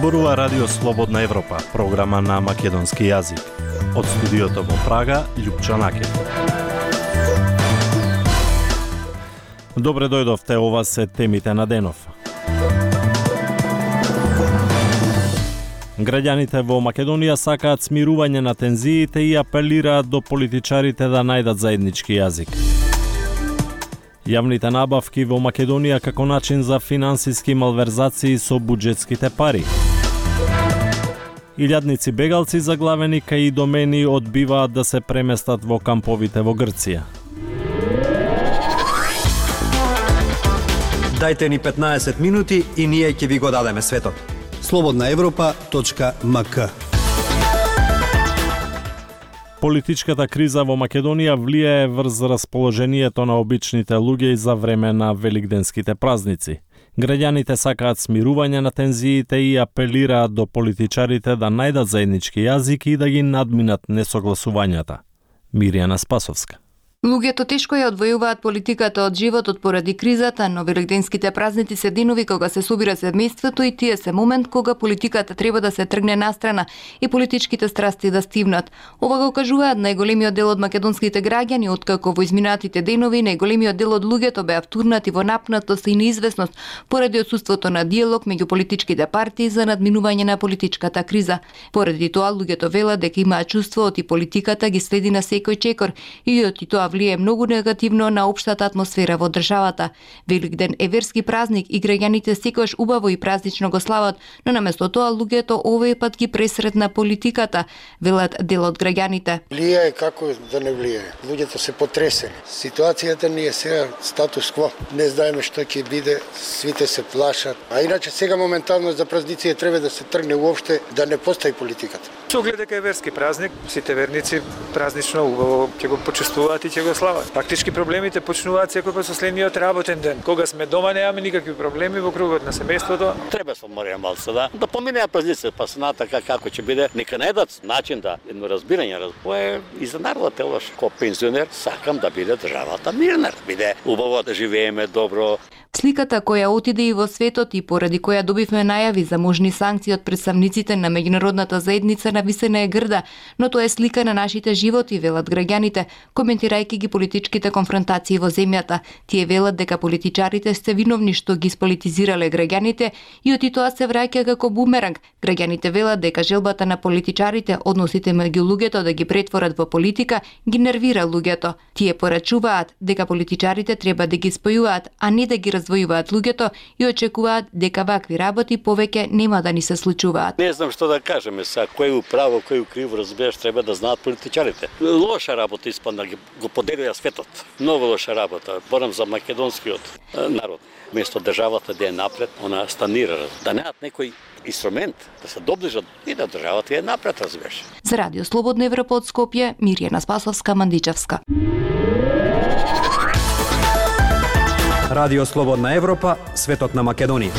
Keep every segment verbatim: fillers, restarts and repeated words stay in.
Зборува Радио Слободна Европа, програма на македонски јазик. Од студиото во Прага, Љупчо Накев. Добре дојдовте, ова се темите на денов. Граѓаните во Македонија сакаат смирување на тензиите и апелираат до политичарите да најдат заеднички јазик. Јавните набавки во Македонија како начин за финансиски малверзации со буџетските пари. Илјадници бегалци заглавени кај домени одбиваат да се преместат во камповите во Грција. Дајте ни петнаесет минути и ние ќе ви го дадеме светот. слободна европа точка ем ка. Политичката криза во Македонија влијае врз расположението на обичните луѓе за време на великденските празници. Граѓаните сакаат смирување на тензиите и апелираат до политичарите да најдат заеднички јазик и да ги надминат несогласувањата. Мирјана Спасовска. Луѓето тешко ја одвојуваат политиката од животот поради кризата, но великденските празници се денови кога се собира семејството и тие се момент кога политиката треба да се тргне настрана и политичките страсти да стивнат. Ова го кажуваат најголемиот дел од македонските граѓани, откако во изминатите денови најголемиот дел од луѓето беа втурнати во напнатост и неизвестност поради отсуството на диалог меѓу политичките партии за надминување на политичката криза. Поради тоа луѓето велат дека имаат чувството и политиката ги следи на секој чекор и од тоа влијае многу негативно на општата атмосфера во државата. Великден е верски празник и граѓаните секогаш убаво и празнично го слават, но наместо тоа луѓето овој пат ги пресретна политиката, велат дел од граѓаните. Влијае како да не влијае. Луѓето се потресени. Ситуацијата ни е сега статус кво. Не знаеме што ќе биде, свите се плашат. А иначе сега моментално за празници треба да се тргне уопште да не постои политиката. Со оглед дека е верски празник, сите верници празнично убаво ќе го почествуваат и ќе го слават. Фактички проблемите почнуваат секој со следниот работен ден. Кога сме дома немаме никакви проблеми во кругот на семејството. Треба со морија малце да да поминеа празници, па се така како ќе биде, нека најдат начин да едно разбирање, разбое и за народот елош ко пензионер сакам да биде државата мирна, да биде убаво да живееме добро. Сликата која отиде и во светот и поради која добивме најави за можни санкции од представниците на меѓународната заедница нависена е грда, но тоа е слика на нашите животи, велат граѓаните, коментирајќи ги политичките конфронтации во земјата. Тие велат дека политичарите се виновни што ги сполитизирале граѓаните и оти тоа се враќа како бумеранг. Граѓаните велат дека желбата на политичарите, односите меѓу луѓето да ги претворат во политика, ги нервира луѓето. Тие порачуваат дека политичарите треба да ги спојуваат, а не да ги раздвојуваат луѓето и очекуваат дека вакви работи повеќе нема да ни се случуваат. Не знам што да кажеме са, кој управо, кој криво, разбираш, треба да знаат политичарите. Лоша работа испадна, го поделија светот. Многу лоша работа, борам за македонскиот народ. Место државата да е напред, она станира, да неат некој инструмент да се доближат и да државата е напред, разбираш. За Радио Слободна Европа од Скопје, Мирјана Спасовска, Мандичевска. Радио Слободна Европа, светот на Македонија.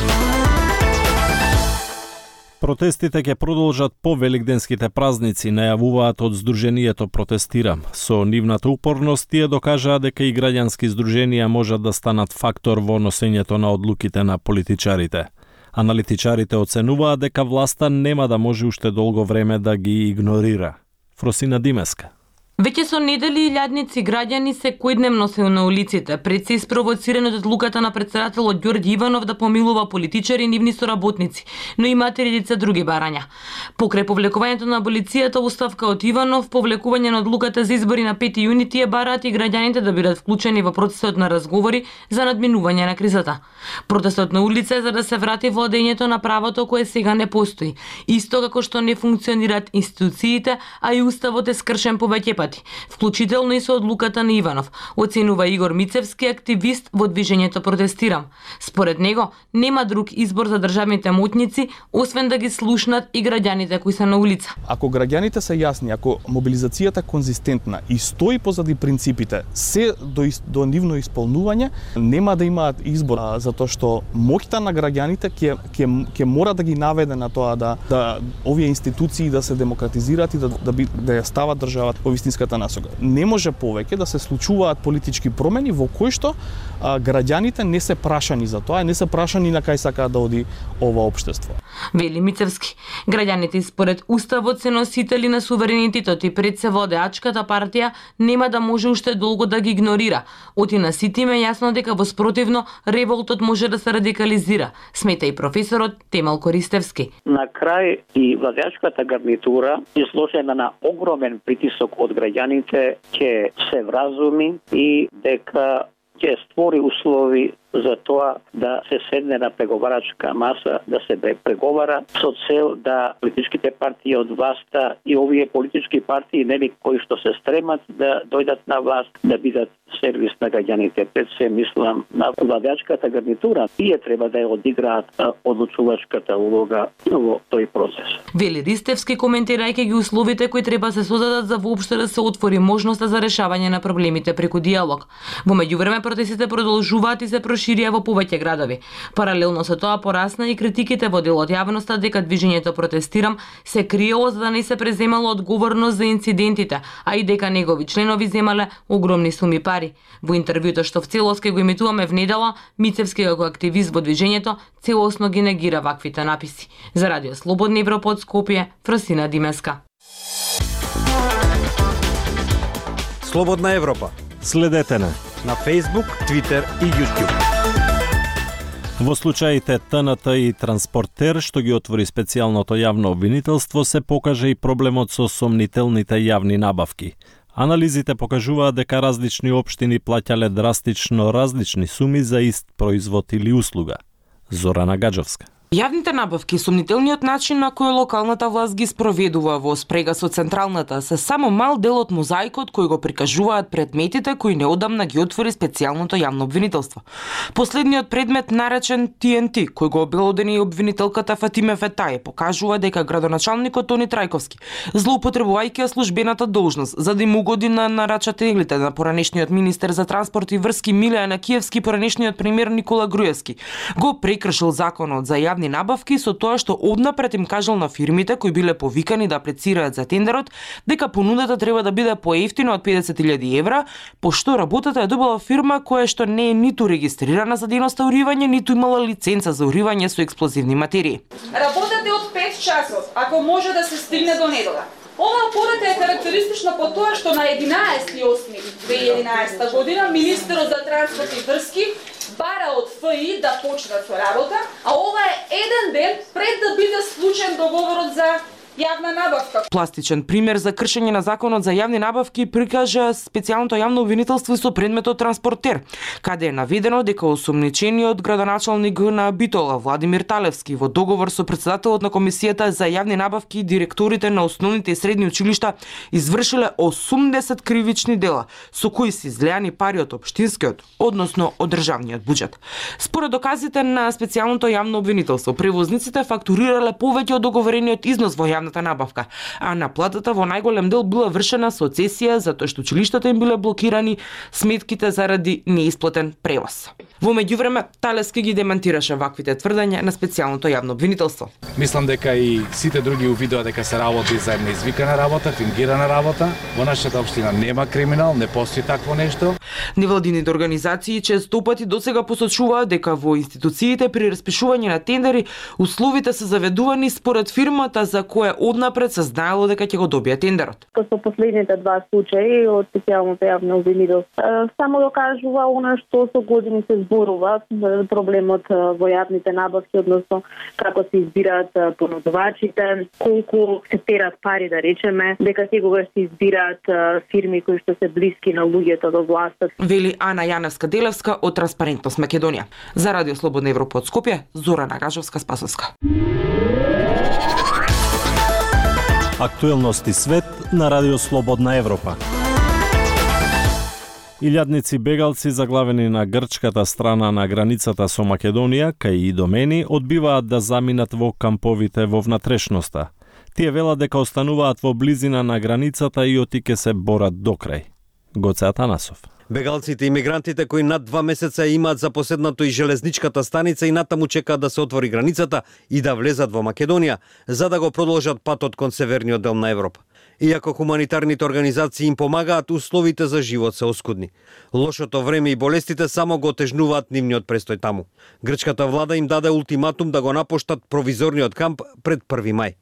Протестите ќе продолжат по великденските празници, најавуваат од Сдруженијето Протестира. Со нивната упорност тие докажаа дека и граѓански здруженија можат да станат фактор во носењето на одлуките на политичарите. Аналитичарите оценуваат дека власта нема да може уште долго време да ги игнорира. Фросина Димеска. Веќе со недели илјадници граѓани секојдневно се на улиците, пред се испровоцирани од одлуката на претседателот Ѓорѓи Иванов да помилува политичари и нивни соработници, но имаат редица други барања. Покрај повлекувањето на аболицијата оставка од Иванов, повлекување на одлуката за избори на пети јуни, тие бараат и граѓаните да бидат вклучени во процесот на разговори за надминување на кризата. Протестот на улица е за да се врати владењето на правото кое сега не постои, исто како што не функционираат институциите, а и уставот е скршен повеќе пати, вклучително и со одлуката на Иванов, оценува Игор Мицевски, активист во движењето Протестирам. Според него, нема друг избор за државните моќници, освен да ги слушнат и граѓаните кои се на улица. Ако граѓаните се јасни, ако мобилизацијата конзистентна и стои позади принципите, се до, до нивно исполнување, нема да имаат избор, а, затоа што моќта на граѓаните ќе ќе ќе мора да ги наведе на тоа да да овие институции да се демократизираат и да да, би, да ја стават државата во вистинска европската насока. Не може повеќе да се случуваат политички промени во кои што а, граѓаните не се прашани за тоа, не се прашани на кај сакаат да оди ова општество. Вели Мицевски, граѓаните според уставот се носители на суверенитетот и пред се водеачката партија нема да може уште долго да ги игнорира. Оти на сите им е јасно дека во спротивно револтот може да се радикализира, смета и професорот Темел Користевски. На крај и владеачката гарнитура, изложена на огромен притисок од граѓаните, ќе се вразуми и дека ќе створи услови за тоа да се седне на преговарачка маса, да се преговара со цел да политичките партии од власта и овие политички партии, нели, кои што се стремат да дојдат на власт, да бидат сервис на граѓаните. Пред се мислам на владеачката гарнитура. Тие треба да ја одиграат одлучувачката улога во тој процес. Вели Ристевски, коментирајќи ги условите кои треба се создадат за воопшто да се отвори можноста за решавање на проблемите преку диалог. Во меѓувреме протестите продолжуваат и се проширија во повеќе градови. Паралелно со тоа порасна и критиките во дел од јавноста дека движењето Протестирам се криело за да не се преземало одговорност за инцидентите, а и дека негови членови земале огромни суми пари. Во интервјуто што в целост ке го емитуваме в недела, Мицевски како активист во движењето целосно ги негира ваквите написи. За Радио Слободна Европа од Скопје, Фросина Димеска. Слободна Европа. Следете на на Facebook, Twitter и YouTube. Во случаите Т Н Т и Транспортер, што ги отвори специјалното јавно обвинителство, се покаже и проблемот со сомнителните јавни набавки. Анализите покажуваат дека различни општини плаќале драстично различни суми за ист производ или услуга. Зорана Гаджовска. Јавните набавки, сомнителниот начин на кој локалната власт ги спроведува во спрега со централната, се само мал дел од мозаикот кој го прикажуваат предметите кои неодамна ги отвори специјалното јавно обвинителство. Последниот предмет, наречен Т Н Т, кој го обелодени и обвинителката Фатиме Фетаје, покажува дека градоначалникот Тони Трајковски, злоупотребувајќи ја службената должност за да им угоди на нарачателите на поранешниот министер за транспорт и врски Милеја Накиевски и поранешниот премиер Никола Груевски, го прекршил законот за јавни набавки со тоа што однапред им кажал на фирмите кои биле повикани да аплицираат за тендерот дека понудата треба да биде поевтина од педесет илјади евра, пошто работата е добила фирма која што не е ниту регистрирана за дејноста уривање, ниту имала лиценца за уривање со експлозивни материи. Работата е од пет часов, ако може да се стигне до недела. Оваа пората е карактеристична по тоа што на единаесети осми две илјади и единаесета година министерот за транспорт и врски бара од Ф И да почнат со работа, а ова е еден ден пред да биде склучен договорот за јавна набавка. Пластичен пример за кршење на законот за јавни набавки прикажа специјалното јавно обвинителство со предметот Транспортер, каде е наведено дека осомничениот градоначалник на Битола Владимир Талевски во договор со председателот на комисијата за јавни набавки и директорите на основните и средни училишта извршиле осумдесет кривични дела со кои се излеани пари од општинскиот, односно од државниот буџет. Според доказите на специјалното јавно обвинителство, превозниците фактурирале повеќе од договорениот износ во јавна набавка, а наплатата во најголем дел била вршена со цесија затоа што училиштата им биле блокирани сметките заради неисплатен превоз. Во меѓувреме, Талевски ги демантираше ваквите тврдења на специјалното јавно обвинителство. Мислам дека и сите други увидува дека се работи за една извикана работа, фингирана работа. Во нашата општина нема криминал, не постои такво нешто. Невладините организации често пати досега посочуваат дека во институциите при распишување на тендери условите се заведувани според фирмата за која однапред се знаело дека ќе го добие тендерот. Со последните два случаи од специјалното јавно обвинителство само докажува она што со години се зборува, проблемот во јавните набавки, односно како се избираат понудувачите, колку се терат пари, да речеме, дека секогаш се избираат фирми кои што се блиски на луѓето до власта. Вели Ана Јаневска-Делевска од Транспарентност Македонија. За Радио Слободна Европа од Скопје, Зорана Гажовска-Спасовска. Актуелности свет на Радио Слободна Европа. Илјадници бегалци заглавени на грчката страна на границата со Македонија, кај Идомени, одбиваат да заминат во камповите во внатрешноста. Тие велат дека остануваат во близина на границата и оти ке се борат докрај. Гоце Атанасов. Бегалците и мигрантите кои над два месеца имаат запоседнато и железничката станица и натаму чекаат да се отвори границата и да влезат во Македонија, за да го продолжат патот кон северниот дел на Европа. Иако хуманитарните организации им помагаат, условите за живот се оскудни. Лошото време и болестите само го отежнуваат нивниот престој таму. Грчката влада им даде ултиматум да го напуштат провизорниот камп пред први мај.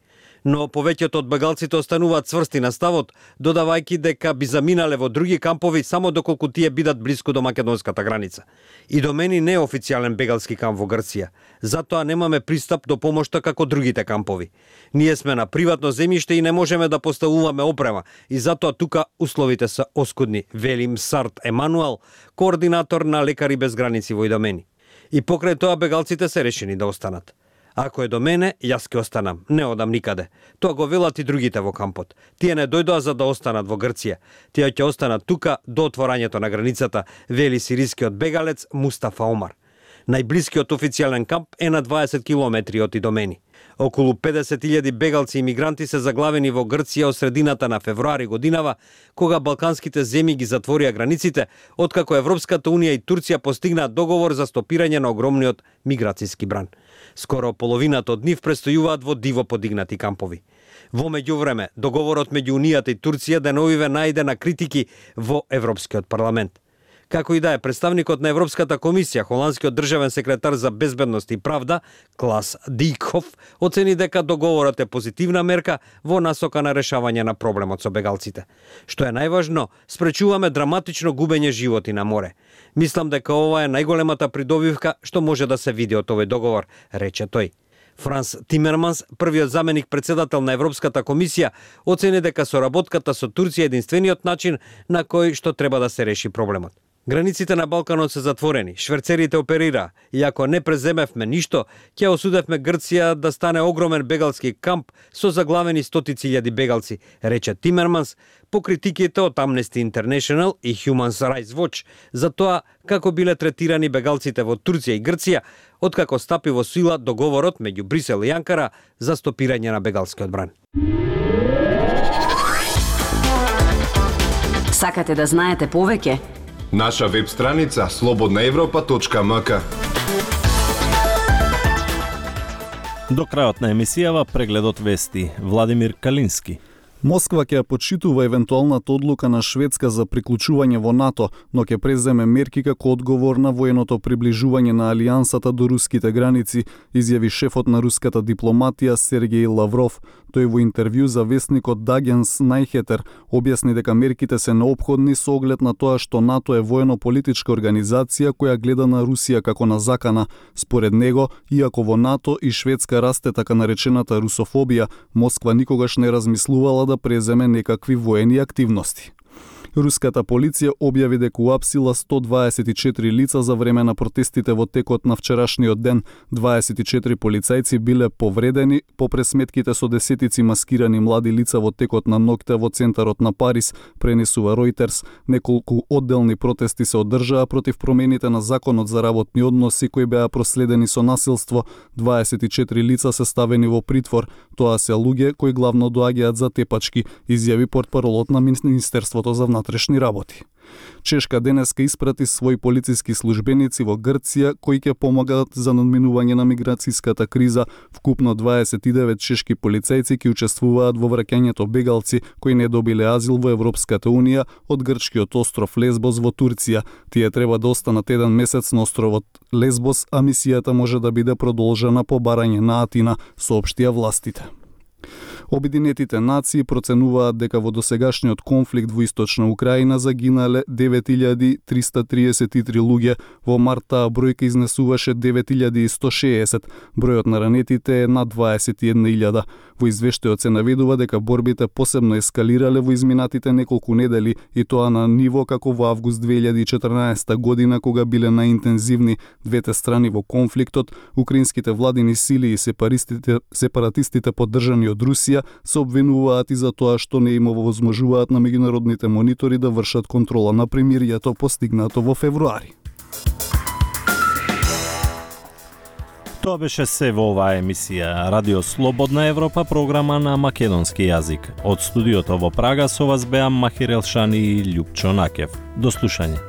Но повеќето од бегалците остануваат цврсти на ставот, додавајќи дека би заминале во други кампови само доколку тие бидат блиску до македонската граница. И до мене не е официјален бегалски камп во Грција, затоа немаме пристап до помошта како другите кампови. Ние сме на приватно земјиште и не можеме да поставуваме опрема, и затоа тука условите се оскудни, вели Мсарт Емануел, координатор на Лекари без граници во Идомени. И покрај тоа бегалците се решени да останат. Ако е до мене, јас ќе останам, не одам никаде. Тоа го велат и другите во кампот. Тие не дојдоа за да останат во Грција. Тие ќе останат тука до отворањето на границата, вели сирискиот бегалец Мустафа Омар. Најблискиот официјален камп е на дваесет километри од Идомени. Околу педесет илјади бегалци и мигранти се заглавени во Грција од средината на февруари годинава, кога балканските земји ги затворија границите, откако Европската унија и Турција постигнаат договор за стопирање на огромниот миграцијски бран. Скоро половината од нив престојуваат во диво подигнати кампови. Во меѓувреме, договорот меѓу Унијата и Турција деновиве најде на критики во Европскиот парламент. Како и да е, представникот на Европската комисија, холандскиот државен секретар за безбедност и правда, Клас Дикхов, оцени дека договорот е позитивна мерка во насока на решавање на проблемот со бегалците. Што е најважно, спречуваме драматично губење животи на море. Мислам дека ова е најголемата придобивка што може да се види од овој договор, рече тој. Франс Тимерманс, првиот заменик председател на Европската комисија, оцени дека соработката со Турција е единствениот начин на кој што треба да се реши проблемот. Границите на Балканот се затворени, шверцерите оперира, и ако не преземевме ништо, ќе осудевме Грција да стане огромен бегалски камп со заглавени стотици илјади бегалци, рече Тимерманс, по критиките од Amnesty International и Human Rights Watch за тоа како биле третирани бегалците во Турција и Грција, откако стапи во сила договорот меѓу Брисел и Анкара за стопирање на бегалскиот бран. Сакате да знаете повеќе? Наша веб страница слободна европа точка ем ка. До крајот на емисијава прегледот вести. Владимир Калински. Москва ќе почитува евентуалната одлука на Шведска за приклучување во НАТО, но ќе преземе мерки како одговор на военото приближување на алијансата до руските граници, изјави шефот на руската дипломатија Сергеј Лавров. Тој во интервју за весникот Дагенс Најхетер објасни дека мерките се неопходни со оглед на тоа што НАТО е воено-политичка организација која гледа на Русија како на закана. Според него, иако во НАТО и Шведска расте така наречената русофобија, Москва никогаш не размислувала да преземе некакви воени активности. Руската полиција објави дека уапсила сто дваесет и четири лица за време на протестите во текот на вчерашниот ден. дваесет и четири полицајци биле повредени по пресметките со десетици маскирани млади лица во текот на ноќта во центарот на Париз, пренесува Reuters. Неколку одделни протести се одржаа против промените на законот за работни односи кои беа проследени со насилство. дваесет и четири лица се ставени во притвор. Тоа се луѓе кои главно доаѓаат за тепачки, изјави портпаролот на Министерството за внатрешни работи. Чешка денеска испрати своји полициски службеници во Грција кои ќе помагаат за надминување на миграцијската криза. Вкупно дваесет и девет чешки полицајци ќе учествуваат во враќањето бегалци кои не добиле азил во Европската унија од грчкиот остров Лесбос во Турција. Тие треба да останат еден месец на островот Лесбос, а мисијата може да биде продолжена по барање на Атина, соопштија властите. Обединетите нации проценуваат дека во досегашниот конфликт во источна Украина загинале девет илјади триста триесет и три луѓе. Во март таа бројка изнесуваше девет илјади и сто шеесет. Бројот на ранетите е над дваесет и една илјада. Во извештајот се наведува дека борбите посебно ескалирале во изминатите неколку недели и тоа на ниво како во август две илјади и четрнаесетта година кога биле најинтензивни двете страни во конфликтот. Украинските владини сили и сепаратистите, сепаратистите поддржани од Русија се обвинуваат и за тоа што не им овозможуваат на меѓународните монитори да вршат контрола на примиријето постигнато во февруари. Тоа беше се во оваа емисија Радио Слободна Европа, програма на македонски јазик. Од студиото во Прага со вас беа Махир Елшани и Љупчо Накев. До слушање.